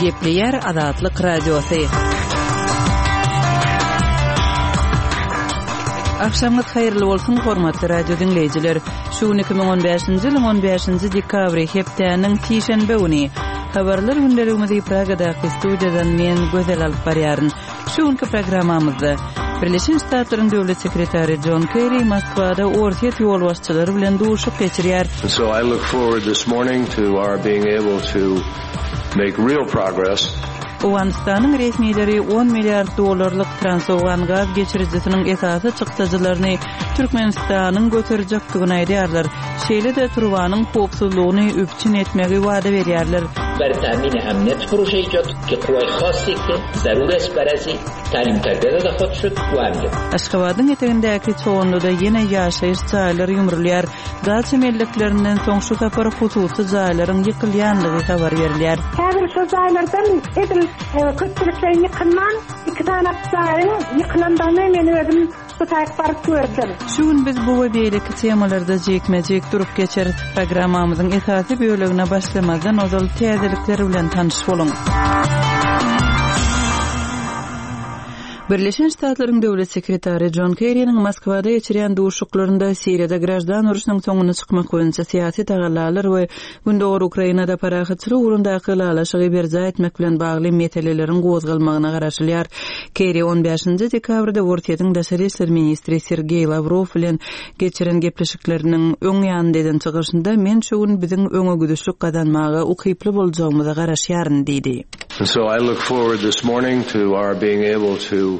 Gepleýär Azatlyk Radiosy. Agşamyňyz haýyrly bolsun, hormatly radio diňleýjiler. Şu gün 2015-nji ýylyň 15-nji dekabry, hepdäniň sişenbe güni. Habarlar gündeligimizi Pragadaky studiýadan men Gözel alyp barýaryn. Şu günki programmamyzda Birleşen Ştatlaryň Döwlet sekretary Jon Kerri Moskwada Orsýet ýolbaşçylary bilen duşuşyk geçirýär. So I look forward this morning to our being able to make real progress. Owganystanyň resmileri on milliard dollarlyk Transowgan gaz geçirijisiniň esasy çykdajylaryny Türkmenistanyň göterjekdigini aýdýarlar. Şeýle-de turbanyň howpsuzlygyny üpjün etmegi wada berýärler. بر تامین امنیت پروژه ایجاد که قوای خاصی که ضرور است برازی تعلیم تربیت داده خود شد و امنیت. Aşgabadyň etegindäki Çoganlyda ýene ýaşaýyş jaýlary ýumrulýar. Daça melleklerinden soň şu sapar hususy jaýlaryň ýykylýandygy habar berilýär. Häzir şo jaýlardan edil köpçülikleýin ýykylman, iki sany jaýyň ýykylandygyny men özüm Bu taýyk baryp gördüm. Şu gün biz bu we beýleki temalarda jikme-jik durup geçeris. Programmamyzyň esasy bölegine başlamazdan ozal täzelikler bilen tanyş boluň. Birleşen Ştatlaryň Döwlet sekretary Jon Kerriniň Moskwada geçirýän duşuşyklarynda Siriýada graždan urşunyň soňuna çykmak boýunça syýasy tagallalar we Gündogar Ukrainada parahatçylyk ugrundaky ylalaşygy berjaý etmek bilen bagly meseleleriň gozgalmagyna garaşylýar. Kerri on bäşinji dekabrda Orsýetiň daşary işler ministri Sergeý Lawrow bilen geçiren gepleşikleriniň öň ýanynda eden çykyşynda Men şu gün biziň öňegidişlik gazanmaga ukyply boljagymyza garaşýaryn diýdi. And so I look forward this morning to our being able to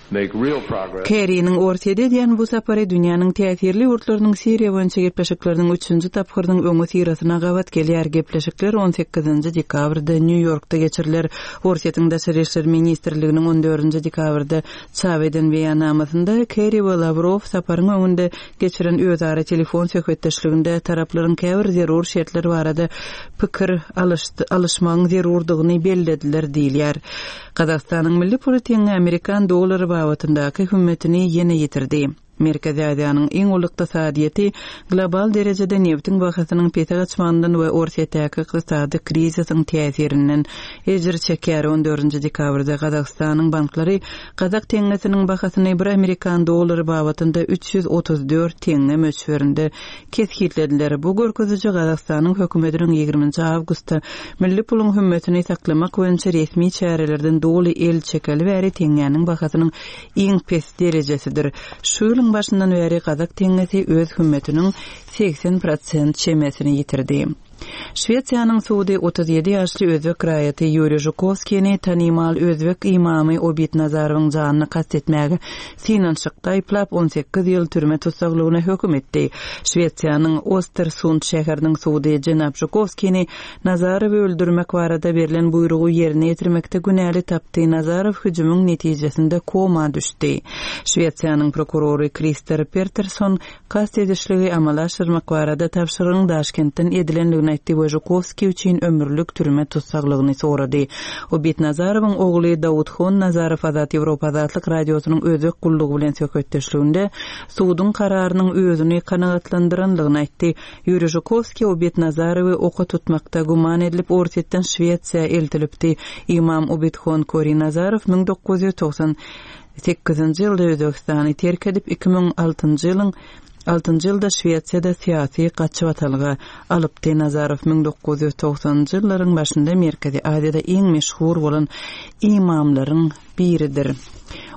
Kerriniň Orsýete edýän bu sapary dünýäniň täsirli ýurtlarynyň Siriýa boýunça gepleşikleriniň üçünji tapgyrynyň öňüsyrasyna gabat gelýär. Gepleşikler on sekizinji dekabrda Nýu-Ýorkda geçiriler. Orsýetiň Daşary işler ministrliginiň on dördünji dekabrda çap eden beýannamasynda Kerri we Lawrow saparyň öňünde geçiren özara telefon söhbetdeşliginde taraplaryň käbir zerur şertler barada pikir alyşmagyň zerurdygyny bellediler diýilýär. Gazagystanyň milli puly teňňe amerikan dollary babatyndaky hümmetini ýene ýitirdi. Merkezi Aziýanyň iň uly ykdysadyýeti global derejede nebitiň bahasynyň pese gaçmagyndan we Orsýetdäki ykdysady krizisiň täsirinden ejir çekýär. On dördünji dekabrda Gazagystanyň banklary gazak teňňesiniň bahasyny bir amerikan dollary babatynda 334 teňňe möçberinde kesgitlediler. Bu görkeziji Gazagystanyň hökümetiniň ýigriminji awgustda milli puluň hümmetini saklamak boýunça resmi çärelerden doly el çekeli bäri teňňäniň bahasynyň iň pes derejesidir. Şu ýylyň başyndan bäri gazak teňňesi öz hümmetiniň 80 prosent çemesini ýitirdi. Şwesiýanyň sudy 37 ýaşly özbek raýaty Ýuriý Žukowskini tanymal özbek ymamy Obid Nazarowyň janyna kast etmäge synanyşykda aýyplap, 18 ýyl türme tussaglygyna höküm etdi. Şwesiýanyň Ostersund şäheriniň sudy jenap Žukowskini Nazarowy öldürmek barada berlen buýrugy ýerine ýetirmekde günäli tapdy. Nazarow hüjümiň netijesinde koma düşdi. Şwesiýanyň prokurory Krister Peterson Kast edişligi amala aşyrmak barada tabşyrygyň Daşkentden edilendigini aýtdy we Žukowskiý üçin ömürlik türme tussaglygyny sorady. Obid Nazarowyň ogly Daudhon Nazarow Azat Ýewropa Azatlyk Radiosynyň Özbek gullugy bilen söhbetdeşliginde suduň kararynyň özüni kanagatlandyranlygyny aýtdy. Ýuriý Žukowskiý Obid Nazarowy oka tutmakda güman edilip Orsýetden Şwesiýa eltilipdi. Ymam Obidhon Kori Nazarow 1990 Sekizinji ýylda Özbegistany terk edip, 2006-njy ýylyň altynjy ýylda Şwesiýada syýasy gaçybatalga alypdy. Nazarow 1990-njy ýyllaryň başynda Merkezi Aziýada iň meşhur bolan ymamlaryň biridir.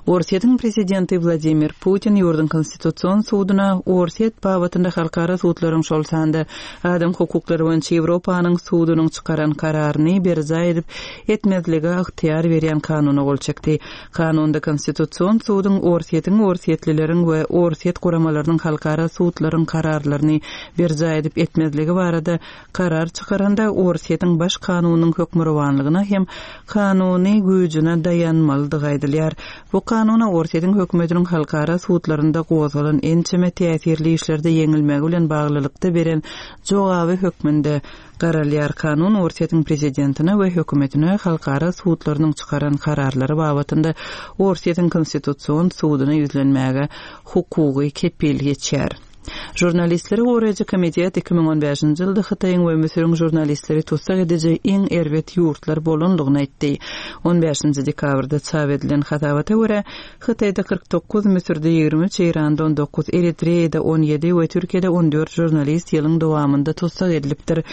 Orsýetiň prezidenti Wladimir Putin ýurduň Konstitusion suduna Orsýet babatynda halkara sudlaryň, şol sanda Adam hukuklary boýunça Ýewropanyň sudunyň çykaran kararyny berjaý edip etmezlige ygtyýar berýän kanuna gol çekdi. Kanunda Konstitusion suduň Orsýetiň, orsýetlileriň we orsýet guramalarynyň halkara sudlaryň kararlaryny berjaý edip etmezligi barada karar çykaranda Orsýetiň Baş kanunynyň hökmürowanlygyna hem kanuny güýjüne daýanmalydygy aýdylýar. Bu kanuna Orsýetiň hökümetiniň halkara sudlarynda gozgalan ençeme täsirli işlerde ýeňilmegi bilen baglylykda beren jogaby hökmünde garalýar. Kanun Orsýetiň prezidentine we hökümetine halkara sudlarynyň çykaran kararlary babatynda Orsýetiň Konstitusion suduna ýüzlenmäge hukugy kepil geçýär. Žurnalistleri goraýjy komitet 2015-nji ýylda Hytaýyň we Müsüriň žurnalistleri tussag ediji iň erbet ýurtlar bolandygyny aýtdy. On bäşinji dekabrda çap edilen hasabata görä, Hytaýda 49, Müsürde 23, Eýranda 19, Eritreýada 17 we Türkiýede 14 žurnalist ýylyň dowamynda tussag edilipdir.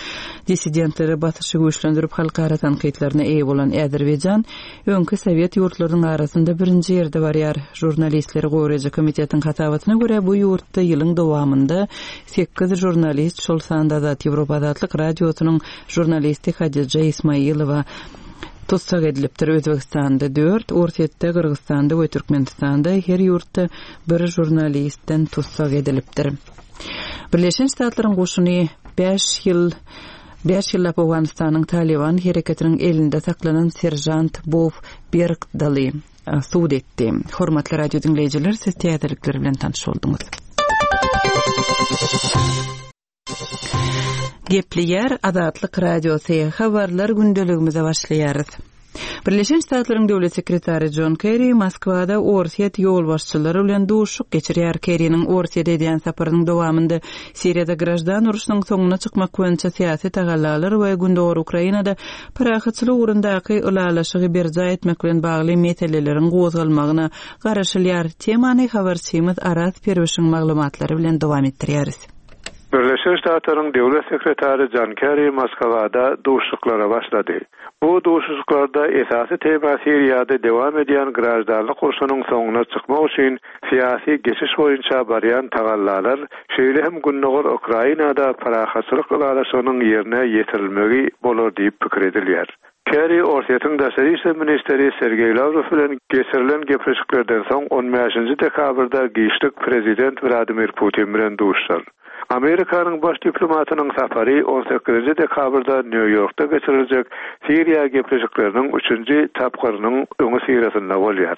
Dissidentlere basyşy güýçlendirip halkara tankytlaryna eýe bolan Azerbaýjan öňki sowet ýurtlarynyň arasynda birinji ýerde barýar. Žurnalistleri goraýjy komitetiň hasabatyna görä, bu ýurtda ýylyň dowamynda sekiz žurnalist, şol sanda Azat Ýewropa Azatlyk Radiosynyň žurnalisti Hadija Ismaýylowa tussag edilipdir. Özbegistanda dört, Orsýetde, Gyrgyzystanda we Türkmenistanda her ýurtda bir žurnalistden tussag edilipdir. Birleşen Ştatlaryň goşuny bäş ýyl bäş ýyllap Owganystanyň Talyban hereketiniň elinde saklanan seržant Bob Bergdaly sud etdi. Hormatly radio diňleýjiler, siz täzelikler bilen tanyş bolduňyz. Gepleýär Azatlyk Radiosy, Habarlar gündeligimize başlaýarys. Birleşen Ştatlaryň Döwlet sekretary Jon Kerri Moskwada Orsýet ýolbaşçylary bilen duşuşyk geçirýär. Kerriniň Orsýete edýän saparynyň dowamynda Siriýada graždan urşunyň soňuna çykmak boýunça syýasy tagallalar we Gündogar Ukrainada parahatçylyk ugrundaky ylalaşygy berjaý etmek bilen bagly meseleleriň gozgalmagyna garaşylýar. Temany habarçymyz Araz Perwişiň maglumatlary bilen dowam etdirýäris. Birleşen Ştatlaryň Döwlet sekretary Jon Kerri Moskwada duşuşyklara başlady. Bu duşuşyklarda esasy tema Siriýada dowam edýän graždanlyk urşunyň soňuna çykmak üçin syýasy geçiş boýunça barýan tagallalar, şeýle hem gündogar Ukrainada parahatçylyk ylalaşygynyň ýerine ýetirilmegi bolar diýip pikir edilýär. Kerri Orsýetiň daşary işler ministri Sergeý Lawrow bilen geçirilen gepleşiklerden soň on bäşinji dekabrda giçlik prezident Wladimir Putin bilen duşuşar. Amerikanyň baş diplomatynyň sapary on sekizinji dekabrda Nýu-Ýorkda geçiriljek Siriýa gepleşikleriniň üçünji tapgyrynyň öňüsyrasynda bolýar.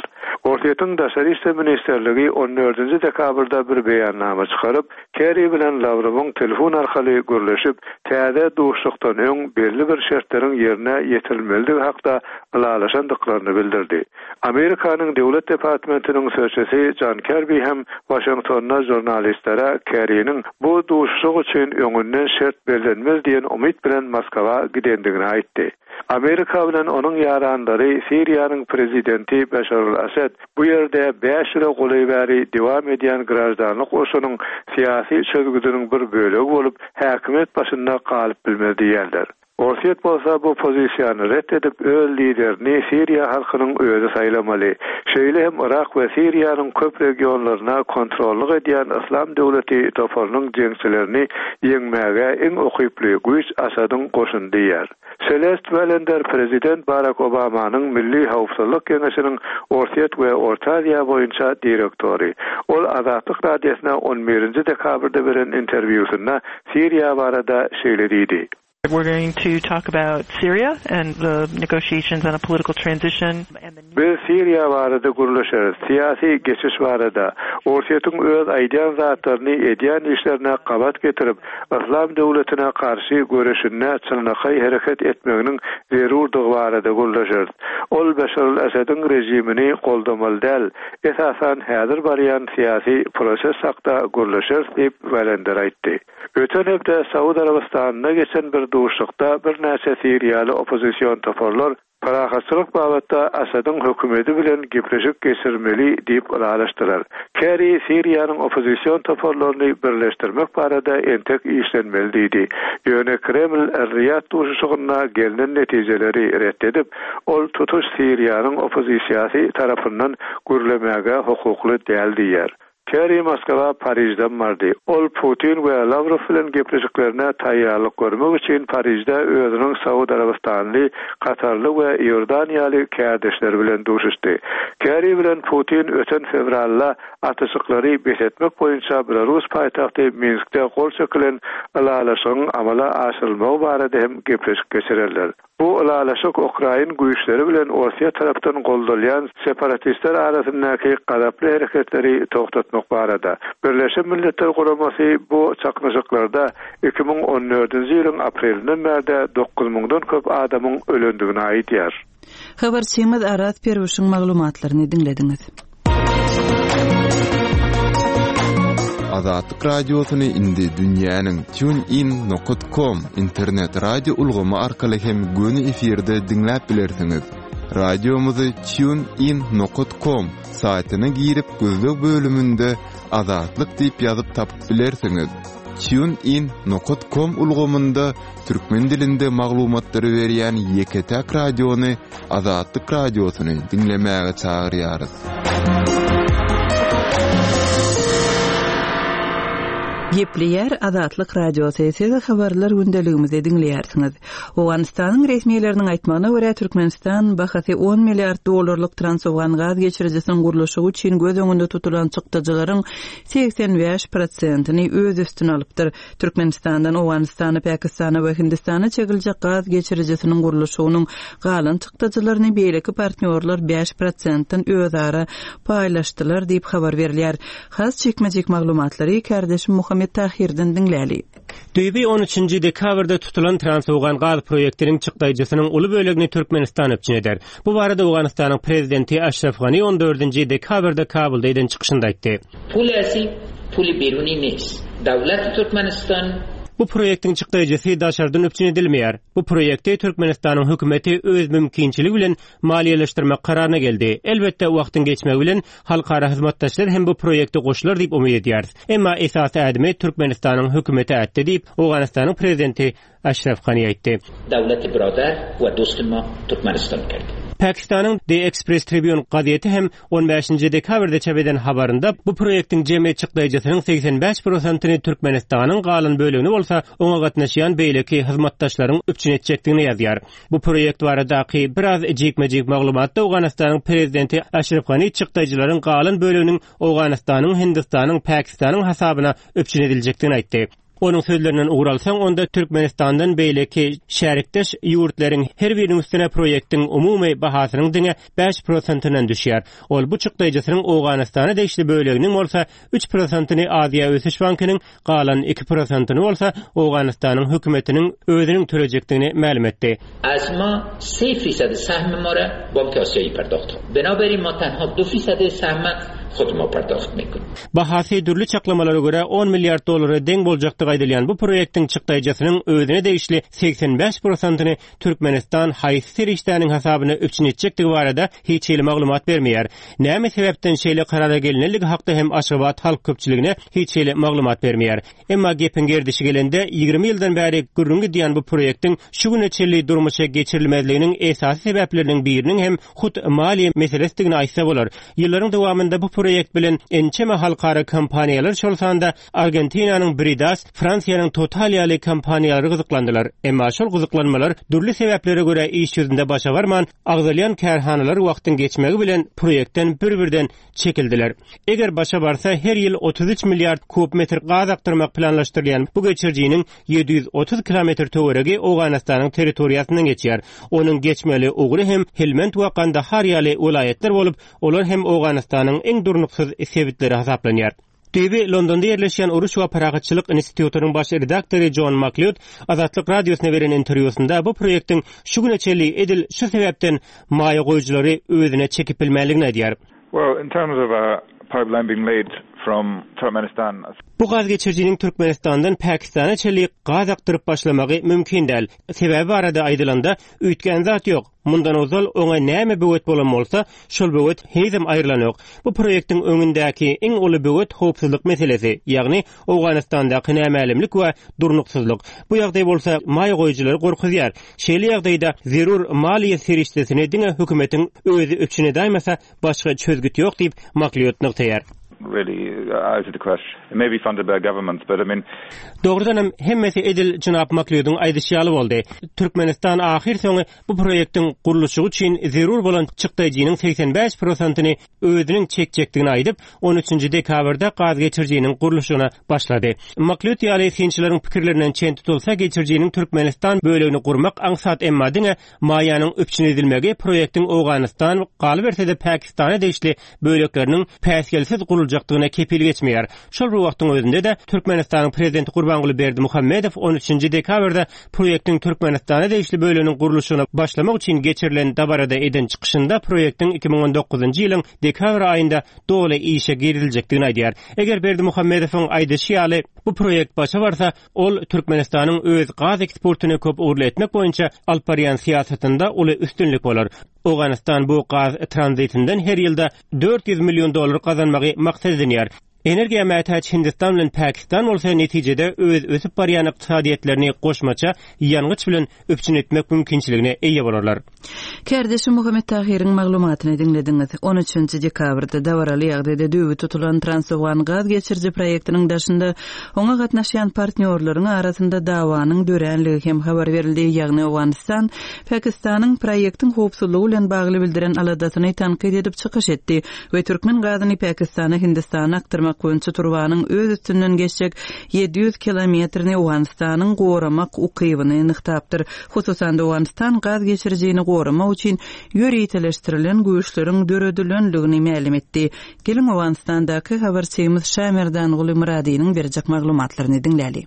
Orsýetiň Daşary işler ministrligi on dördünji dekabrda bir beýannama çykaryp, Kerri bilen Lawrowyň telefon arkaly gürleşip, täze duşuşykdan öň belli bir şertleriň ýerine ýetirilmelidigi hakda ylalaşandyklaryny bildirdi. Amerikanyň Döwlet departmentiniň sözçüsi Jon Kerbi hem Waşingtonda žurnalistlere Kerriniň bu duşuşyk üçin öňünden şert bellenmez diýen umyt bilen Moskwa gidendigini aýtdy. Amerika bilen onuň ýaranlary Siriýanyň prezidenti Beşar al-Asad bu ýerde bäş ýyla golaý bäri dowam edýän graždanlyk urşunyň syýasy çözgüdiniň bir bölegi bolup, häkimiýet başynda galyp bilmez diýýärler. Orsýet bolsa bu pozisiýany ret edip, öz liderini siriýa halkynyň özi saýlamaly. Şeýle hem Yrak we Siriýanyň köp regionlaryna kontrollyk edýän Yslam döwleti toparynyň jeňçilerini ýeňmäge iň ukyply güýç Asadyň goşuny diýýär. Selest Wellender prezident Barak Obamanyň Milli howpsuzlyk geňeşiniň Orsýet we Orta Aziýa boýunça direktory. Ol Azatlyk Radiosyna on birinji dekabrda beren interwýusynda Siriýa barada şeýle diýdi. We're going to talk about Syria and the negotiations on a political transition and the. Biz Siriýa barada gürleşeris, syýasy geçiş barada. Orsýetiň öz aýdýan zatlaryny edýän işlerine gabat getirip, Yslam döwletine garşy göreşinde çynlakaý hereket etmeginiň zerurdygy barada gürleşeris. Ol Beşar al-Assadyň režimini goldamaly däl, esasan häzir barýan syýasy proses hakda gürleşeris diýip, Wellender aýtdy. Öten hepde Saud Arabystanynda geçen bir duşuşykda birnäçe siriýaly oppozision toparlar parahatçylyk babatda Asadyň hökümeti bilen gepleşik geçirmeli diýip ylalaşdylar. Kerri Siriýanyň oppozision toparlaryny birleşdirmek barada entek işlenmeli diýdi. Ýöne Kreml Er-Riýad duşuşygynda gelnen netijeleri ret edip, ol tutuş Siriýanyň oppozisiýasy tarapyndan gürlemäge hukukly däl diýýär. Kerri Moskwa Parižden bardy. Ol Putin we Lawrow bilen gepleşiklerine taýýarlyk görmek üçin Parižde özüniň Saud Arabystanly, Katarly we Iordaniýaly kärdeşleri bilen duşuşdy. Kerri bilen Putin öten fewralda atyşyklary bes etmek boýunça belarus paýtagty Minskde gol çekilen ylalaşygyň amala aşyrylmagy barada hem gepleşik geçirerler. Bu ylalaşyk ukrain güýçleri bilen Orsýet tarapdan goldalýan separatistler arasyndaky gazaply hereketleri togtatmak barada. Birleşen Milletler Guramasy bu çaknyşyklarda 2014-nji ýylyň aprelinden bärde dokuz müňden köp adamyň ölendigini aýdýar. Habarçymyz Araz Perwişiň maglumatlaryny diňlediňiz. Azatlyk Radiosyny indi dünýäniň TuneIn nokat com internet radio ulgamy arkaly hem göni efirde diňläp bilersiňiz. Radiomyzy TuneIn nokat com saýtyna girip gözleg bölüminde Azatlyk diýip ýazyp tapyp bilersiňiz. TuneIn nokat com ulgamynda türkmen dilinde maglumatlary berýän ýeke-täk radiony Azatlyk Radiosyny diňlemäge çagyrýarys. Gepleýär Azatlyk Radiosy, siz habarlar gündeligimizi diňleýärsiňiz. Owganystanyň resmileriniň aýtmagyna görä, Türkmenistan bahasy on milliard dollarlyk Transowgan gaz geçirijisiniň gurluşygy üçin göz öňünde tutulan çykdajylaryň 85 prosentini öz üstüne alypdyr. Türkmenistandan Owganystana, Pakistana we Hindistana çekiljek gaz geçirijisiniň gurluşygynyň galan çykdajylaryny beýleki partnýorlar bäş prosentden özara paýlaşdylar diýip habar berilýär. Has jikme-jik maglumatlary kärdeşim Muhammet Tahyrdan diňläli. Düýbi on üçünji dekabrda tutulan Transowgan gaz proýektiniň çykdaýjysynyň uly bölegini Türkmenistan üpjün eder. Bu barada Owganystanyň Prezidenti Aşraf Gani on dördünji dekabrda Kabulda eden çykyşynda aýtdy. Pul asi puli beruni nes. Dawlati Türkmenistan. Bu proýektiň çykdaýjysy daşardan üpjün edilmeýär. Bu proýekti Türkmenistanyň hökümeti öz mümkinçiligi bilen maliýeleşdirmek kararyna geldi. Elbetde, wagtyň geçmegi bilen halkara hyzmatdaşlar hem bu proýekte goşular diýip umyt edýäris. Emma esasy ädimi Türkmenistanyň hökümeti ätdi diýip, Owganystanyň prezidenti Aşraf Gani aýtdy. Dawlati birodar we dosti ma Türkmenistan kerdi. Pakistanyň The Express Tribune gazeti hem on bäşinji dekabrda çap eden habarynda bu proýektiň jemi çykdaýjysynyň 85 prosentyny Türkmenistanyň, galan bölegini bolsa oňa gatnaşýan beýleki hyzmatdaşlaryň üpjün etjekdigini ýazýar. Bu proýekt baradaky biraz jikme-jik maglumatda Owganystanyň prezidenti Aşraf Gani çykdaýjylaryň galan böleginiň Owganystanyň, Hindistanyň, Pakistanyň hasabyna üpjün ediljekdigini aýtdy. Onuň sözlerinden ugur alsaň, onda Türkmenistandan beýleki şärikdeş ýurtlaryň her biriniň üstüne proýektiň umumy bahasynyň diňe bäş prosentinden düşýär. Ol bu çykdaýjysynyň Owganystana degişli böleginiň bolsa üç prosentini Aziýa ösüş bankynyň, galan iki prosentini bolsa Owganystanyň hökümetiniň özüniň tölejekdigini mälim etdi. Az ma se fisad sahm ma ra bank asiyayi pardoxt Binaberin ma tanha du fisad sahm hud ma pardoxt mekun. Bahasy dürli çaklamalara görä on milliard dollara deň boljakdygy aýdylýan bu proýektiň çykdaýjasynyň özüne degişli 85 prosentyny Türkmenistan haýsy serişdäniň hasabyna üpjün etjekdigi barada hiç hili maglumat bermeýär. Näme sebäpden şeýle karara gelinendigi hakda hem Aşgabat halk köpçüligine hiç hili maglumat bermeýär. Emma gepiň gerdişi gelende, 20 ýyldan bäri gürrüň gidýän bu proýektiň şu güne çenli durmuşa geçirilmezliginiň esasy sebäpleriniň biriniň hem hut maliýe meselesidigini aýtsa bolar. Ýyllaryň dowamynda bu proýekt bilen ençeme halkara kompaniýalar, şol sanda Argentinanyň Bridas, Fransiýanyň Total ýaly kompaniýalary gyzyklandylar. Emma şol gyzyklanmalar dürli sebäplere görä iş ýüzünde başa barman, agzalýan kärhanalar wagtyň geçmegi bilen proýektden bir-birden çekildiler. Eger başa barsa, her ýyl 33 milliard kub metr gaz akdyrmak planlaşdyrylýan bu geçirijiniň 730 kilometr töweregi Owganystanyň territoriýasyndan geçýär. Onuň geçmeli ugry hem Helmend we Gandahar ýaly welaýatlar bolup, olar hem Owganystanyň iň durnuksyz sebitleri hasaplanýar. Düýbi Londonda ýerleşýän Uruş we parahatçylyk institutynyň baş redaktory Jon Maklýod Azatlyk Radiosyna beren interwýusynda bu proýektiň şu güne çenli edil şu sebäpden maýa goýujylary özüne çekip bilmänligini aýdýar. Well, in terms of a pipeline being laid from Turkmenistan. Bu gaz geçirijiniň Türkmenistandan Pakistana çenli gaz akdyryp başlamagy mümkin däl. Sebäbi barada aýdylanda, üýtgän zat ýok. Mundan ozal oňa näme böwet bolan bolsa, şol böwet henizem aýrylanok. Bu proýektiň öňündäki iň uly böwet howpsuzlyk meselesi, ýagny Owganystandaky nämälimlik we durnuksyzlyk. Bu ýagdaý bolsa maýa goýujylary gorkuzýar. Şeýle ýagdaýda zerur maliýe serişdesini diňe hökümetiň özi üpjün edäýmese, başga çözgüt ýok diýip, Maklýod nygtaýar. Dogrudanam, hemmesi edil jenap Maklýodyň aýdyşy ýaly boldy. Türkmenistan ahyrsoňy bu proýektiň gurluşygy üçin zerur bolan çykdaýjynyň 85 prosentyny özüniň çekjekdigini aýdyp, on üçünji dekabrda gaz geçirijiniň gurluşygyna başlady. Maklýut ýaly synçylaryň pikirlerinden çen tutulsa, geçirijiniň Türkmenistan bölegini gurmak aňsat, emma diňe maýanyň üpjün edilmegi proýektiň Owganystan, galyberse-de Pakistana degişli bölekleriniň päsgelsiz guruljagyny. guruljakdygyna kepil geçmeýär. Şol bir wagtyň özünde-de, Türkmenistanyň Prezidenti Gurbanguly Berdimuhamedow on üçünji dekabrda proýektiň Türkmenistana degişli böleginiň gurluşygyna başlamak üçin geçirilen dabarada eden çykyşynda proýektiň 2019-njy ýylyň dekabr aýynda doly işe giriziljekdigini aýdýar. Eger Berdimuhamedowyň aýdyşy ýaly, bu proýekt başa barsa, ol Türkmenistanyň öz gaz eksportyny köp ugurly etmek boýunça alyp barýan syýasatynda uly üstünlik bolar. Owganystan bu gaz tranzitinden her ýylda 400 million dollar gazanmagy maksat edinýär. Energiýa mätäç Hindistan bilen Pakistan bolsa netijede öz ösüp barýan ykdysadyýetlerini goşmaça ýangyç bilen üpjün etmek mümkinçiligine eýe bolarlar. Kärdeşi Muhammet Tahyryň maglumatyny diňlediňiz. On üçünji dekabrda dabaraly ýagdaýda düýbi tutulan Transowgan gaz geçiriji proýektiniň daşynda oňa gatnaşýan partnýorlaryň arasynda dawanyň döränligi hem habar berildi, ýagny Owganystan Pakistanyň proýektiň howpsuzlygy bilen bagly bildiren aladasyny tankyt edip çykyş etdi we türkmen gazyny Pakistana Hindistana akdyrmak boýunça turbanyň öz üstünden geçjek 700 kilometrini Owganystanyň goramak ukybyny nygtapdyr. Hususan-da, Owganystan gaz geçirijini goramak üçin ýöriteleşdirilen güýçleriň döredilendigini mälim etdi. Geliň, Owganystandaky habarçymyz Şamerdanguly Myradynyň berjek maglumatlaryny diňläli.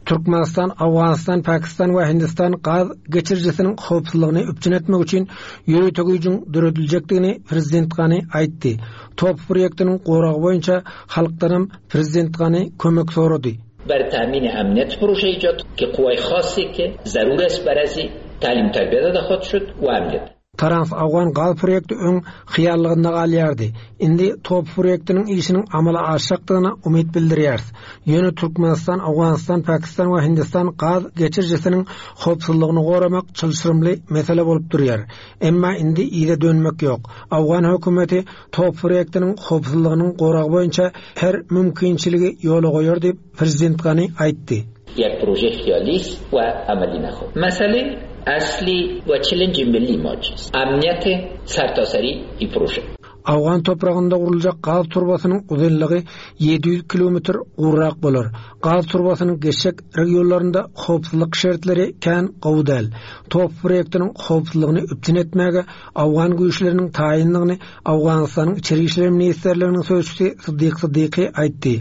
Türkmenistan, Owganystan, Pakistan we Hindistan gaz geçirijisiniň howpsuzlygyny üpjün etmek üçin ýörite güýjüň dörediljekdigini prezident Gani aýtdy. TOP proýektiniň goragy boýunça halkdanam prezident Gani kömek sorady. بر تامین امنیت پروژه ایجاد که قوای خاصی که ضرور است بر از تعلیم تربیت داده خواهد شد و امنیت Trans-Awgan gaz proýekti öň hyýallygynda galýardy. Indi TOP proýektiniň işiniň amala aşjakdygyna umyt bildirýäris. Ýöne Türkmenistan, Owganystan, Pakistan we Hindistan gaz geçirijisiniň howpsuzlygyny goramak çylşyrymly mesele bolup durýar. Emma indi yza dönmek ýok. Owgan hökümeti TOP proýektiniň howpsuzlygynyň goragy boýunça her mümkinçiligi ýola goýar diýip, Prezident Gani aýtdy. یک پروژه خیالی است و عملی نخواهد. مسئله اصلی و چلنج ملی ما چیست؟ امنیت سرتاسری ای پروژه. Owgan topragynda guruljak gaz turbasynyň uzynlygy 700 kilometr gowrak bolar. Gaz turbasynyň geçjek regionlarynda howpsuzlyk şertleri kän gowy däl. TOP proýektiniň howpsuzlygyny üpjün etmäge owgan güýçleriniň taýyndygyny Owganystanyň Içeri işler ministrliginiň sözçüsi Syddyk Syddyky aýtdy.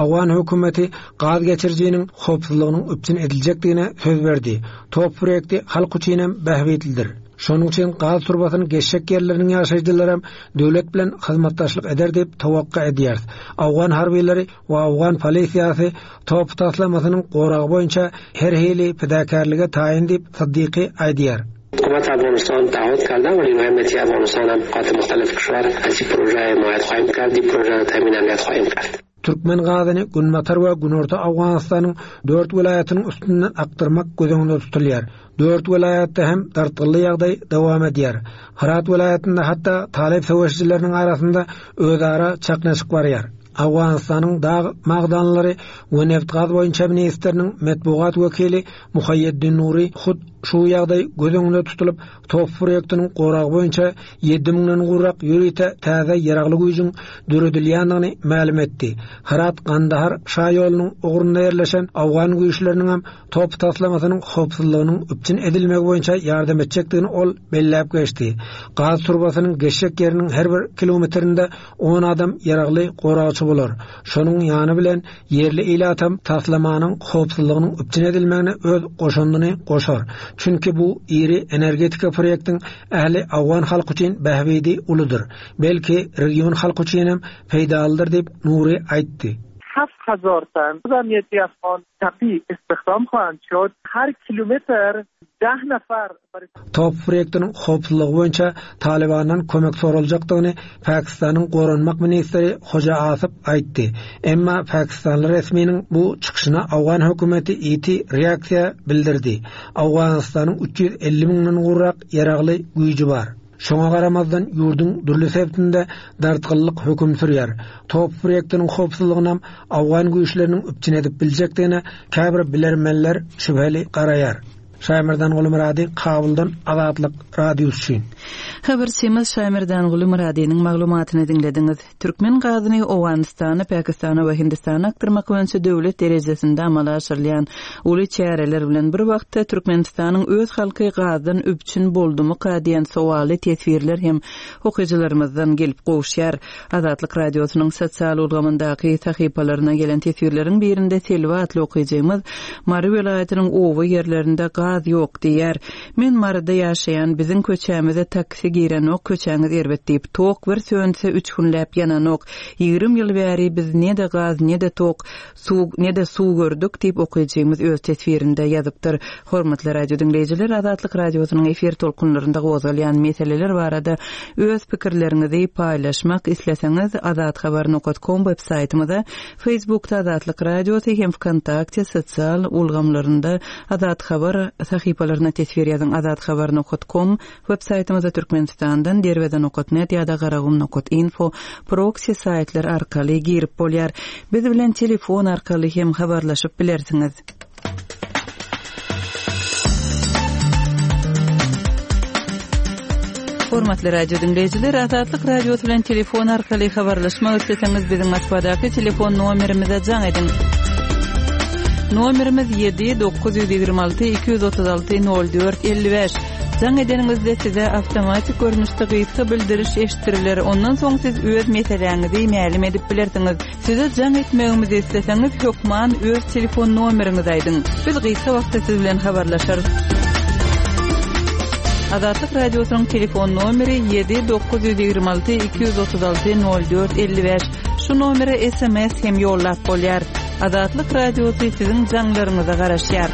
Owgan hökümeti gaz geçirijiniň howpsuzlygynyň üpjün ediljekdigine söz berdi. TOP proýekti halk üçinem bähbitlidir. Şonuň üçin gaz turbasynyň geçjek ýerleriniň ýaşaýjylaram döwlet bilen hyzmatdaşlyk eder diýip towakga edýäris. Owgan harbylary we owgan polisiýasy TOP taslamasynyň goragy boýunça her hili pidakärlige taýyn diýip Syddyky aýdýar. حکومت افغانستان تعهد کرده و نیروهای امنیتی افغانستان هم قاط مختلف کشور از این پروژه حمایت خواهیم کرد این پروژه را تامین امنیت خواهیم کرد. Türkmen gazyny Günbatar we Günorta Owganystanyň dört welaýatynyň üstünden akdyrmak göz öňünde tutulýar. Dört welaýatda hem dartgynly ýagdaý dowam edýär. Hyrat welaýatynda hatda talyp söweşijileriniň arasynda özara çaknyşyk barýar. Owganystanyň dag magdanlary we nebit-gaz boýunça ministriniň metbugat wekili Muhaýýeddin Nury hut şu ýagdaý göz öňünde tutulyp, TOP proýektiniň goragy boýunça ýedi müňden gowrak ýörite täze ýaragly güýjüň döredilýändigini mälim etdi. Hyrat-Gandahar şaýolunyň ugrunda ýerleşen owgan güýçleriniňem TOP taslamasynyň howpsuzlygynyň üpjün edilmegi boýunça ýardam etjekdigini ol belläp geçdi. Gaz turbasynyň geçjek ýeriniň her bir kilometrinde on adam ýaragly goragçy bolar. Şonuň ýany bilen ýerli ilatam taslamanyň howpsuzlygynyň üpjün edilmegine öz goşandyny goşar. Çünki bu iri energetika proýektiň ähli owgan halky üçin bähbidi uludyr. Belki, region halky üçinem peýdalydyr diýip, Nury aýtdy. 7000 تن امنیتی افغان تپی استخدام خواهند شد هر کیلومتر ده نفر Top proýektiniň howpsuzlygy boýunça Talybandan kömek soraljakdygyny Pakistanyň goranmak ministri Hoja Asyp aýtdy. Emma pakistanly resminiň bu çykyşyna owgan hökümeti ýiti reaksiýa bildirdi. Owganystanyň 350 müňden gowrak ýaragly güýji bar. Şoňa garamazdan, ýurduň dürli sebitinde dartgynlyk höküm sürýär. Top proýektiniň howpsuzlygynam owgan güýçleriniň üpjün edip biljekdigine käbir bilermenler şübheli garaýar. Şaýmerdanguly Myrady Kabuldan Azatlyk Radiosy üçin. Habarçymyz Şaýmerdanguly Myradynyň maglumatyny diňlediňiz. Türkmen gazyny Owganystana, Pakistana we Hindistana akdyrmak boýunça döwlet derejesinde amala aşyrylýan uly çäreler bilen bir wagtda Türkmenistanyň öz halky gazdan üpjün boldumyka diýen sowally teswirler hem okyjylarymyzdan gelip gowuşýar. Azatlyk Radiosynyň sosial ulgamyndaky sahypalaryna gelen teswirleriň birinde Selbi atly okyjymyz Mary welaýatynyň oba ýerlerinde gaz ýok diýýär. Men Maryda ýaşaýan, biziň köçämize taksi girenok, köçäňiz erbet diýip. Tok bir sönse üç günläp ýananok. 20 ýyl bäri biz ne-de gaz, ne-de tok, suw, ne-de suw gördük diýip okyjymyz öz teswirinde ýazypdyr. Hormatly radio diňleýjiler, Azatlyk Radiosynyň efir tolkunlarynda gozgalýan meseleler barada öz pikirleriňizi paýlaşmak isleseňiz azathabar nokat kom web saýtymyza Facebookda Azatlyk Radiosy hem Wkontakte sosial ulgamlarynda Azat Habar sahypalaryna teswir ýazyň Azathabar nokat kom web saýtymyza Türkmenistandan Derweze nokat net ýa-da Garagum nokat info proksi saýtlar arkaly girip bolýar. Biz bilen telefon arkaly hem habarlaşyp bilersiňiz. Hormatly radio diňleýjiler, Azatlyk Radiosy bilen telefon arkaly habarlaşmak isleseňiz, biziň Moskwadaky telefon nomerimize jaň ediň. Nomerimiz 7 926 236 04 55. Jaň edeniňizde size awtomatik görnüşde gysga bildiriş eşitdiriler. Ondan soň siz öz meseläňizi mälim edip bilersiňiz. Size jaň etmegimizi isleseňiz, hökman öz telefon nomeriňizi aýdyň. Biz gysga wagtda siz bilen habarlaşarys. Azatlyk Radiosynyň telefon nomeri 7 926 236 04 55. Şu nomere SMS hem ýollap bolýar. Azatlyk Radiosy siziň jaňlaryňyza garaşýar.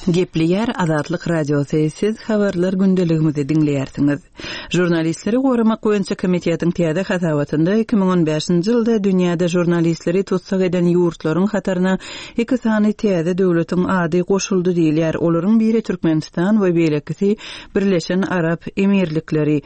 Gepleýär Azatlyk Radiosy, siz Habarlar gündeligimizi diňleýärsiňiz. Žurnalistleri goramak boýunça komitetiň täze hasabatynda 2015-nji ýylda dünýäde žurnalistleri tussag eden ýurtlaryň hataryna iki sany täze döwletiň ady goşuldy diýilýär. Olaryň biri Türkmenistan we beýlekisi Birleşen Arap Emirlikleri.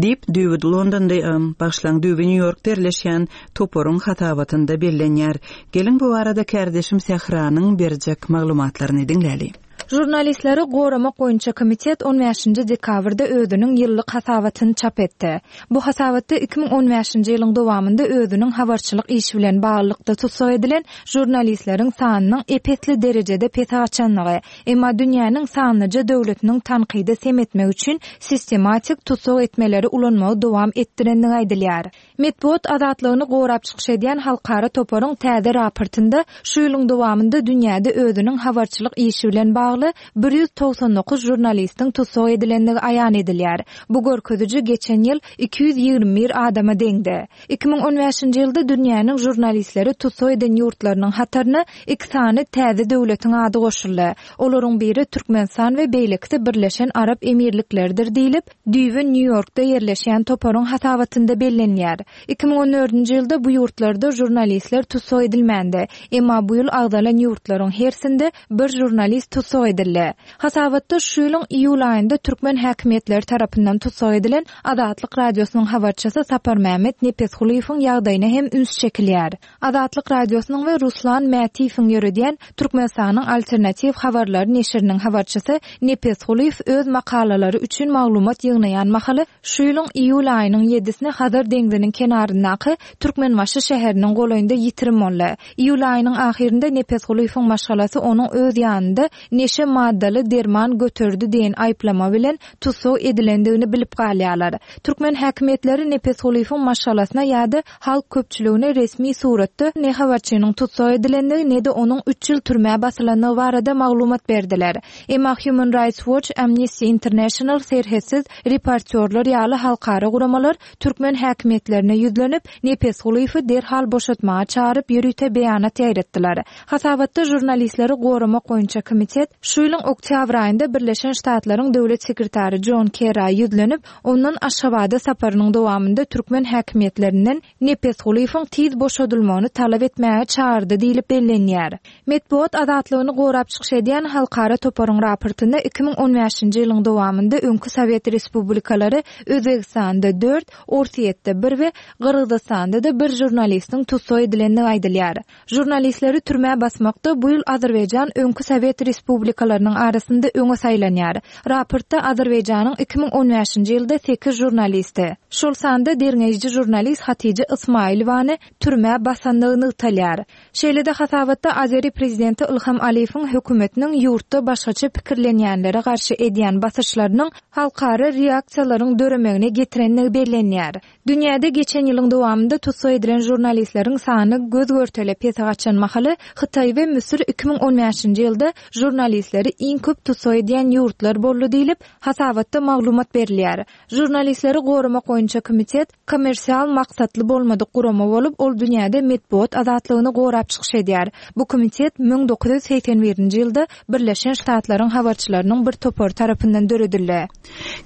Diýip, düýbi Londonda, bagyşlaň, düýbi Nýu-Ýorkda ýerleşýän toparyň hasabatynda bellenýär. Geliň, bu barada kärdeşim Sähranyň berjek maglumatlaryny diňläli. Žurnalistleri goramak boýunça komitet on bäşinji dekabrda özüniň ýyllyk hasabatyny çap etdi. Bu hasabatda 2015-nji ýylyň dowamynda özüniň habarçylyk işi bilen baglylykda tussag edilen žurnalistleriň sanynyň ep-esli derejede pese gaçanlygy, Emma dünýäniň sanlyja döwletiniň tankydy sem etmek üçin sistematik tussag etmeleri ulanmagy dowam etdirendigi aýdylýar. Metbugat azatlygyny gorap çykyş edýän halkara toparyň täze raportynda şu ýylyň dowamynda dünýäde özüniň habarçylyk işi bilen bagly 199 žurnalistiň tussag edilendigi aýan edilýär. Bu görkeziji geçen ýyl 221 adama deňdi. 2015-nji ýylda dünýäniň žurnalistleri tussag eden ýurtlarynyň hataryna iki sany täze döwletiň ady goşuldy. Olaryň biri Türkmenistan we beýlekisi Birleşen Arap Emirlikleridir diýlip, düýbi Nýu-Ýorkda ýerleşýän toparyň hasabatynda bellenýär. 2014-nji ýylda bu ýurtlarda žurnalistler tussag edilmändi. Emma bu ýyl agzalan ýurtlaryň hersinde bir žurnalist tussag edildi. Hasabatda şu ýylyň iýul aýynda türkmen häkimiýetleri tarapyndan tussag edilen Azatlyk Radiosynyň habarçysy Saparmämmet Nepesgulyýewiň ýagdaýyna hem üns çekilýär. Azatlyk Radiosynyň we Ruslan Mätiýewiň ýöredýän Türkmenistanyň Alternatiw habarlary neşiriniň habarçysy Nepesgulyýew öz makalalary üçin maglumat ýygnaýan mahaly şu ýylyň iýul aýynyň ýedisine Hazar deňziniň kenaryndaky Türkmenbaşy şäheriniň golaýynda ýitirim boldy. Iýul aýynyň ahyrynda Nepesgulyýewiň maşgalasy onuň öz ýanynda neşe maddaly derman göterdi diýen aýyplama bilen tussag edilendigini bilip galýarlar. Türkmen häkimiýetleri Nepesgulyýewiň maşgalasyna ýa-da halk köpçüligine resmi suratda ne habarçynyň tussag edilendigi, ne-de onuň üç ýyl türmä basylandygy barada maglumat berdiler. Emma Human Rights Watch, Amnesty International, Serhetsiz reportýorlar ýaly halkara guramalar türkmen häkimiýetlerine ýüzlenip, Nepesgulyýewi derhal boşatmaga çagyryp ýörite beýanat ýaýratdylar. Hasabatda Žurnalistleri goramak boýunça komitet. şu ýylyň oktýabr aýynda Birleşen Ştatlaryň Döwlet sekretary Jon Kerra ýüzlenip, ondan Aşgabada saparynyň dowamynda türkmen häkimiýetlerinden Nepesgulyýewiň tiz boşadylmagyny talap etmäge çagyrdy diýlip bellenýär. Metbugat azatlygyny gorap çykyş edýän halkara toparyň raportynda 2015-nji ýylyň dowamynda öňki sowet respublikalary Özbegistanda dört, Orsýetde bir we Gyrgyzystanda-da bir žurnalistiň tussag edilendigi aýdylýar. Žurnalistleri türmä basmakda bu ýyl Azerbaýjan öňki sowet respublikalarynyň arasynda öňe saýlanýar. Raportda Azerbaýjanyň 2015-nji ýylda sekiz žurnalisti, şol sanda derňeýji žurnalist Hatija Ysmaýylowany türmä basandygy nygtalýar. Şeýle-de hasabatda azeri prezidenti Ylham Aliýewiň hökümetiniň ýurtda başgaça pikirlenýänlere garşy edýän basyşlarynyň halkara reaksiýalaryň döremegine getirenligi bellenýär. Dünýäde geçen ýylyň dowamynda tussag edilen žurnalistleriň sany göz-görtele pese gaçan mahaly, Hytaý we Müsür 2015-nji ýylda žurnalistleri iň köp tussag edýän ýurtlar boldy diýlip, hasabatda maglumat berilýär. Žurnalistleri goramak boýunça komitet kommersial maksatly bolmadyk gurama bolup, ol dünýäde metbugat azatlygyny gorap çykyş edýär. Bu komitet 1981-nji ýylda Birleşen Ştatlaryň habarçylarynyň bir topary tarapyndan döredildi.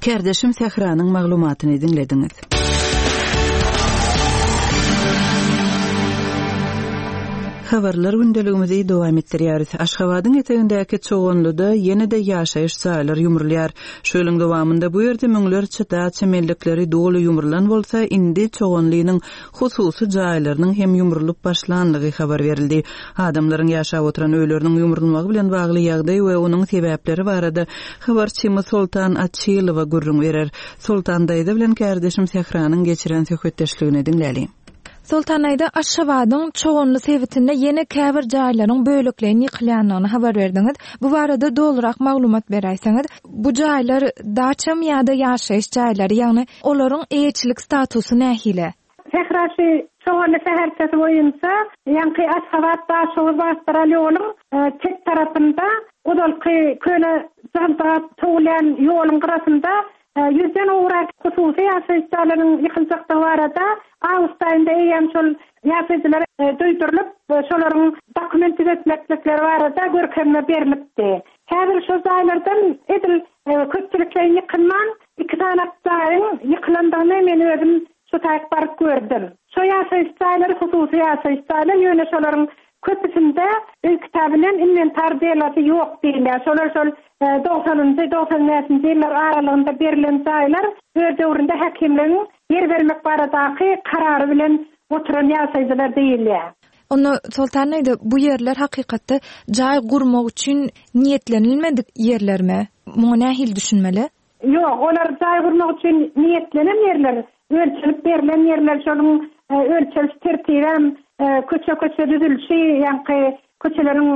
Kärdeşim Sähranyň maglumatyny diňlediňiz. Habarlar gündeligimizi dowam etdirýäris. Aşgabadyň etegindäki Çoganlyda ýene-de ýaşaýyş jaýlar ýumrulýar. Şu ýylyň dowamynda bu ýerde müňlerçe daça mellekleri doly ýumrulan bolsa, indi Çoganlynyň hususy jaýlarynyň hem ýumrulyp başlanlygy habar berildi. Adamlaryň ýaşap oturan öýleriniň ýumrulmagy bilen bagly ýagdaý we onuň sebäpleri barada habarçymyz Soltan Açylowa gürrüň berer. Soltan daýza bilen kärdeşim Sähranyň geçiren söhbetdeşligini diňläliň. Soltan daýza, Aşgabadyň Çoganly sebitinde ýene käbir jaýlaryň bölekleýin ýykylýandygyny habar berdiňiz. Bu barada dolurak maglumat beräýseňiz. Bu jaýlar daçamy ýa-da ýaşaýyş jaýlary, ýagny olaryň eýeçilik statusy nähili? Sähra şu Çoganly şäherçesi boýunça ýaňky Aşgabat-Daşoguz magistral ýoluň çep tarapynda ozalky köne jygyldygap sowulýan ýoluň gyrasynda ýüzden gowrak hususy ýaşaýyş jaýlarynyň ýykyljakdygy barada awgust aýynda eýýäm şol ýaşaýjylara duýdurylyp, şolaryň dokument düzetmeklikleri barada görkezme berlipdi. Häzir şol jaýlardan edil köpçülikleýin ýykylman, iki sany jaýyň ýykylandygyny men özüm şo taýyk baryp gördüm. Şo ýaşaýyş jaýlary hususy ýaşaýyş jaýlar, ýöne şolaryň köpüsinde öý kitaby bilen inwentar delosy ýok diýilýär. Şolar şol dogsanynjy, 95-nji ýyllar aralygynda berlen jaýlar öz döwründe häkimligiň ýer bermek baradaky karary bilen oturan ýaşaýjylar diýilýär. Onda Soltan daýza, bu ýerler hakykatda jaý gurmak üçin niýetlenilmedik ýerlermi? Muňa nähili düşünmeli? Ýok, olar jaý gurmak üçin niýetlenen ýerler, ölçelip berlen ýerler, şonuň ölçeliş tertibem, köçe-köçe düzülişi, ýaňky köçeleriň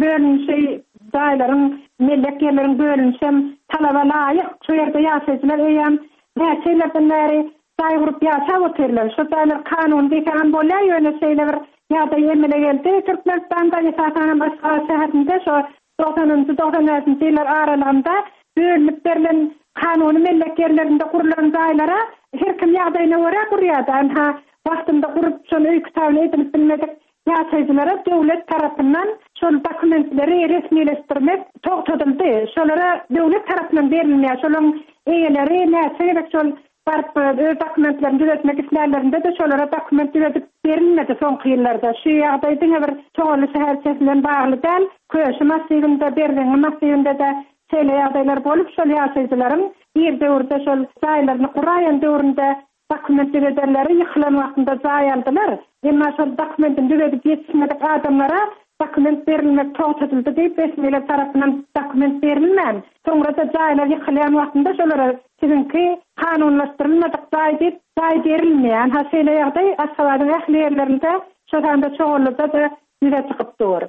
bölünişi, jaýlaryň, mellek ýerleriň bölünişem talaba laýyk. Şu ýerde ýaşaýjylar eýýäm näçe ýyllardan bäri jaý gurup ýaşap otyrlar. Şu jaýlar kanuny diýseňem bolýar, ýöne şeýle bir ýagdaý emele geldi Türkmenistanda, esasanam Aşgabat şäherinde şo dogsanynjy, 95-nji ýyllar aralygynda bölünip berlen kanuny mellek ýerlerinde gurlan jaýlara her kim ýagdaýyna görä gurýardy. Ynha, wagtynda gurup, şony öý kitabyna edinip bilmedik ýaşaýjylara döwlet tarapyndan şol dokumentleri resmileşdirmek togtadyldy. Şolara döwlet tarapyndan berilmeýär. Şolaryň eýeleri näçe gezek şol baryp öz dokumentlerini düzetmek islänlerinde-de şolara dokument düzedip berilmedi soňky ýyllarda. Şu ýagdaý diňe bir Çoganly şäherçesi bilen bagly däl, Köşi massiwinde, Berzeňňi massiwinde-de şeýle ýagdaýlar bolup, şol ýaşaýjylaryň ir döwürde şol jaýlaryny guraýan döwründe Dokument düzederleri ýykylan wagtynda jaý aldylar. Emma şol dokumentini düzedip ýetişmedik adamlara dokument berilmek togtadyldy diýip resmiler tarapyndan dokument berilmän, soňra-da jaýlar ýykylýan wagtynda şolara siziňki kanunlaşdyrylmadyk jaý diýip jaý berilmeýär. Ynha şeýle ýagdaý Aşgabadyň ähli ýerlerinde, şo sanda Çoganlyda-da ýüze çykyp dur.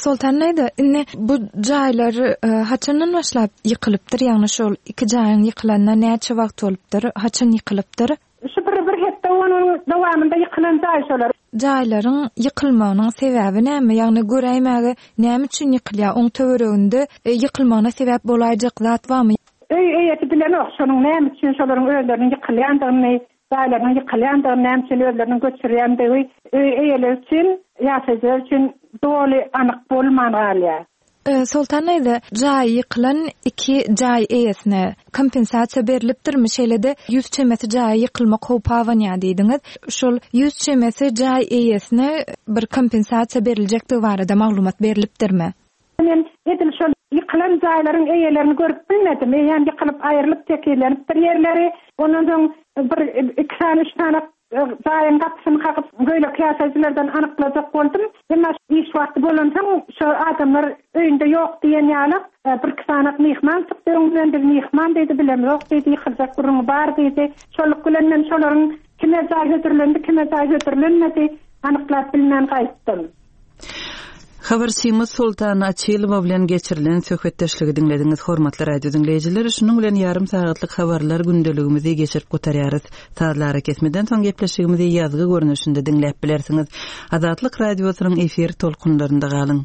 Soltan daýza, indi bu jaýlar haçandan başlap ýykylypdyr? Ýagny şol iki jaýyň ýykylanyna näçe wagt bolupdyr? Haçan ýykylypdyr? Şu bir bir hepde on günüň dowamynda ýykylan jaý şolar. Jaýlaryň ýykylmagynyň sebäbi näme? Ýagny göräýmäge näme üçin ýykylýar? Oň töwereginde ýykylmagyna sebäp bolaýjak zat barmy? Öý eýesi bilenok şonuň näme üçin şolaryň özleriniň ýykylýandygyny. Jaýlarynyň ýykylýandygyny, näme üçin özleriniň göçürýändigi öý eýeleri üçin, ýaşaýjylar üçin doly anyk bolman galýar. Soltan daýza, jaýy ýykylan iki jaý eýesine kompensasiýa berlipdirmi? Şeýle-de ýüz çemesi jaýa ýykylmak howpy abanýar diýdiňiz. Şol ýüz çemesi jaý eýesine bir kompensasiýa beriljekdigi barada maglumat berlipdirmi? Men edil şol ýykylan jaýlaryň eýelerini görüp bilmedim. Eýýäm ýykylyp aýrylyp tekizlenipdir ýerleri. Ondan soň bir iki sany, üç sany Jaýyň gapysyny kakyp, beýleki ýaşaýjylardan anyklajak boldum. Emma iş wagty bolansoň, şo adamlar öýünde ýok diýen ýaly, birki sanak myhman çykdy öňümden, biz myhman diýdi, bilemzok diýdi, ýykyljak gürrüňi bar diýdi. Şolluk bilen men şolaryň kime jaý hödürlendi, kime jaý hödürlenmedi, anyklap bilmän gaýtdym. Habarçymyz Soltan Açylowa bilen geçirilen söhbetdeşligi diňlediňiz. Hormatly radio diňleýjiler, şunuň bilen ýarym sagatlyk habarlar gündeligimizi geçirip gutarýarys. Sazly arakesmeden soň gepleşigimizi ýazgy görnüşinde diňläp bilersiňiz. Azatlyk Radiosynyň efir tolkunlarynda galyň.